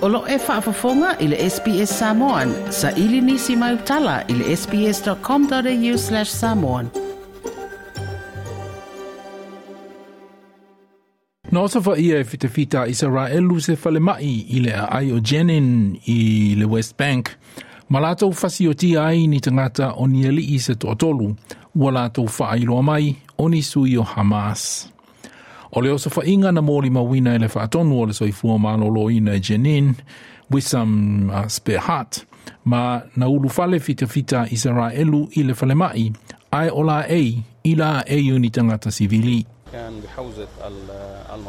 O lo e faafofoga i le SBS Samoan. Saili nisi mau tala i le sbs.com.au/samoan. Na osofaia e fitafita a Isaraelu se falemai i le aai o Jenin i le West Bank, ma latou fasiotia ai ni tagata o ni alii se toatolu, ua latou faailoa mai o ni sui o Hamas. O le osofaiga na molimauina e le faatonu o le soifua malōlōina i Jenin, Wissam Sbehat, ma na ulufale fitafita a Isaraelu i le falemai, ae o laei i laei o ni tagata sivili.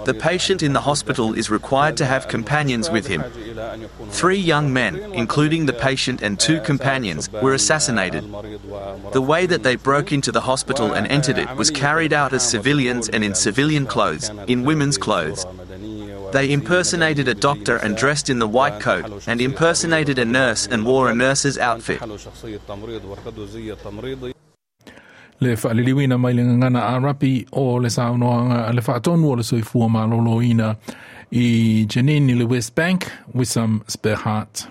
The patient in the hospital is required to have companions with him. 3 young men, including the patient and 2 companions, were assassinated. The way that they broke into the hospital and entered it was carried out as civilians and in civilian clothes, in women's clothes. They impersonated a doctor and dressed in the white coat, and impersonated a nurse and wore a nurse's outfit. Le faaliliuina mai le gagana Arapi o le saunoaga a le faatonu o le soifua malōlōina i Jenin i le West Bank, Wissam Sbehat.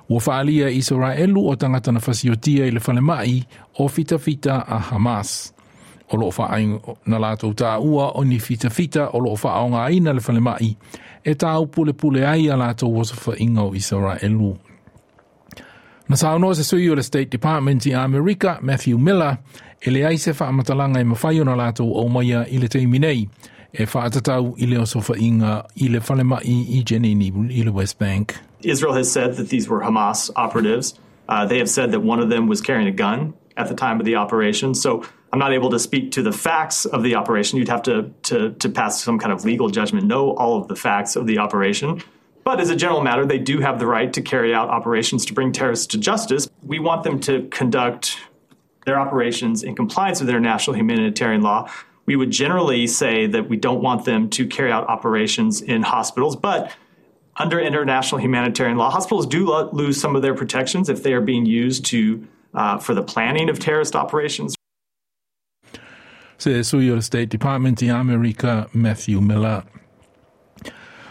Ua faalia e Isaraelu o tagata na fasiotia i le falemai o fitafita a Hamas. O loo faaai na latou taua o ni fitafita o loo faaogaina le falemai e taupulepule ai a latou osofaiga o Isaraelu. Na saunoa se sui o le State Department i Amerika, Matthew Miller, e leai se faamatalaga e mafai ona latou aumaia i le taimi nei, e faatatau i le osofaiga i le falemai i Jenin i le West Bank. Israel has said that these were Hamas operatives. They have said that one of them was carrying a gun at the time of the operation. So I'm not able to speak to the facts of the operation. You'd have to pass some kind of legal judgment, know all of the facts of the operation. But as a general matter, they do have the right to carry out operations to bring terrorists to justice. We want them to conduct their operations in compliance with international humanitarian law. We would generally say that we don't want them to carry out operations in hospitals, but under international humanitarian law, hospitals do lose some of their protections if they are being used for the planning of terrorist operations. Se sui o le State Department i Amerika, Matthew Miller.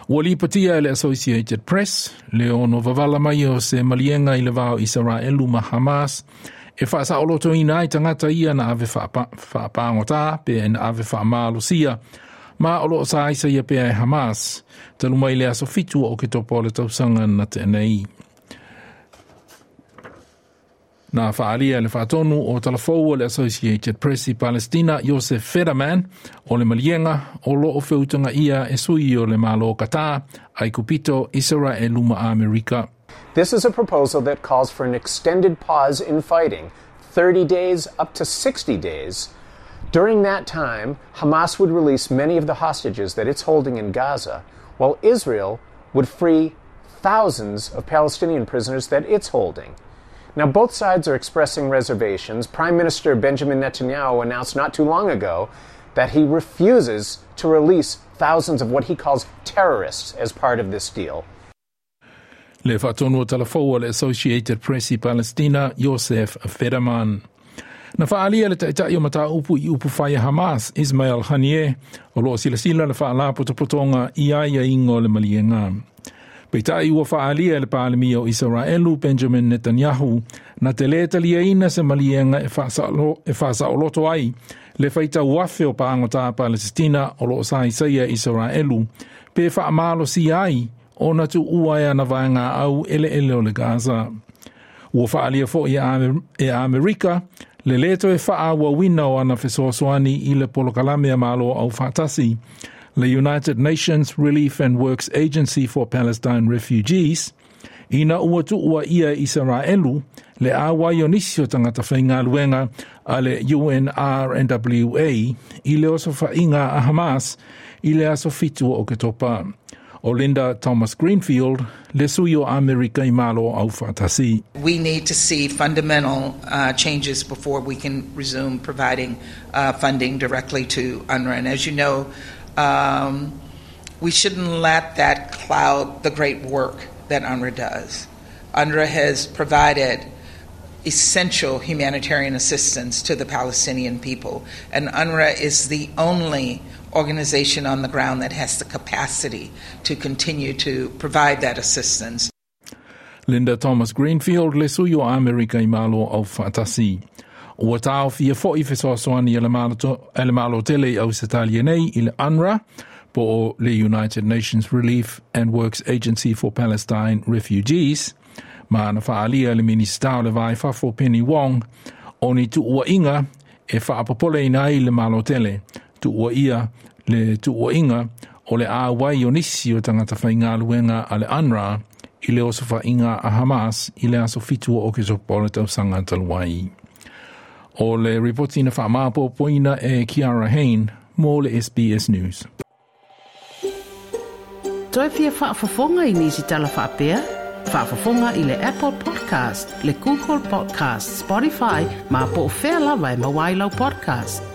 Ua lipotia e le Associated Press, le ono vavala mai o se maliega i le va o Isaraelu ma Hamas, e faasaolotoina ai tagata ia na ave faapagotā pe na ave faamalosia, ma o loo sa ia pea e Hamas, talu mai le aso 7 o Oketopa o le tausaga na tea nei. Na faalia le faatonu o talafou o le Associated Press i Palestina, Joseph Federman, o le maliega o loo feutagaia e sui o le Malo Qatar, Aikupito, Israelu ma Amerika. This is a proposal that calls for an extended pause in fighting, 30 days up to 60 days. During that time, Hamas would release many of the hostages that it's holding in Gaza, while Israel would free thousands of Palestinian prisoners that it's holding. Now, both sides are expressing reservations. Prime Minister Benjamin Netanyahu announced not too long ago that he refuses to release thousands of what he calls terrorists as part of this deal. Le faatonu o talafou o le Associated Press i Palestina, Joseph Federman. Na faalia le taitai o mataupu i upu fai a Hamas, Ismail Haniyeh, o loo silasila le faalapotopotoga i aiaiga o le maliega. Peitai ua faalia e le Palemia o Isaraelu Benjamin Netanyahu na te lē taliaina se maliega e faasaoloto ai le faitau afe o pagotā Palesitina o loo saisaia Isaraelu pe faamalosia ai ona tuua e ana vaegaau eleele o le Gaza. Ua faalia foi e Amerika le lē toe faaauauina o ana fesoasoani i le polokalame a Malo Aufaatasi, le United Nations Relief and Works Agency for Palestine Refugees, ina ua tuua ia Isaraelu le auai o nisi o tagata faigaluega a le UNRWA i le osofaiga a Hamas i le aso 7 o Oketopa. O Linda Thomas Greenfield, le sui o Amerika i Malo Aufaatasi. We need to see fundamental changes before we can resume providing funding directly to UNRWA. And as you know, we shouldn't let that cloud the great work that UNRWA does. UNRWA has provided essential humanitarian assistance to the Palestinian people, and UNRWA is the only organization on the ground that has the capacity to continue to provide that assistance. Linda Thomas Greenfield le sui o Amerika i Malo Aufaatasi. Ua taofia foi fesoasoani a le Malo tele i Ausetalia nei i le UNRWA, po o le United Nations Relief and Works Agency for Palestine Refugees, ma na faaalia le Minisita o le Va i Fafo Penny Wong, o ni tuuaiga e faapopoleina ai le Malo tele, tuuaia le tuuaiga o le auai o nisi o tagata faigaluega a le UNRWA i le osofaiga a Hamas i le aso 7 o Oketopa o le tausaga talu ai. O le ripoti na faamaopoopoina e Kiara Hain mo le SBS News. Toe fia faafofoga i nisi tala faapea? Faafofoga i le Apple Podcast, le Google Podcast, Spotify, ma po o fea lava e maua ai lau podcast.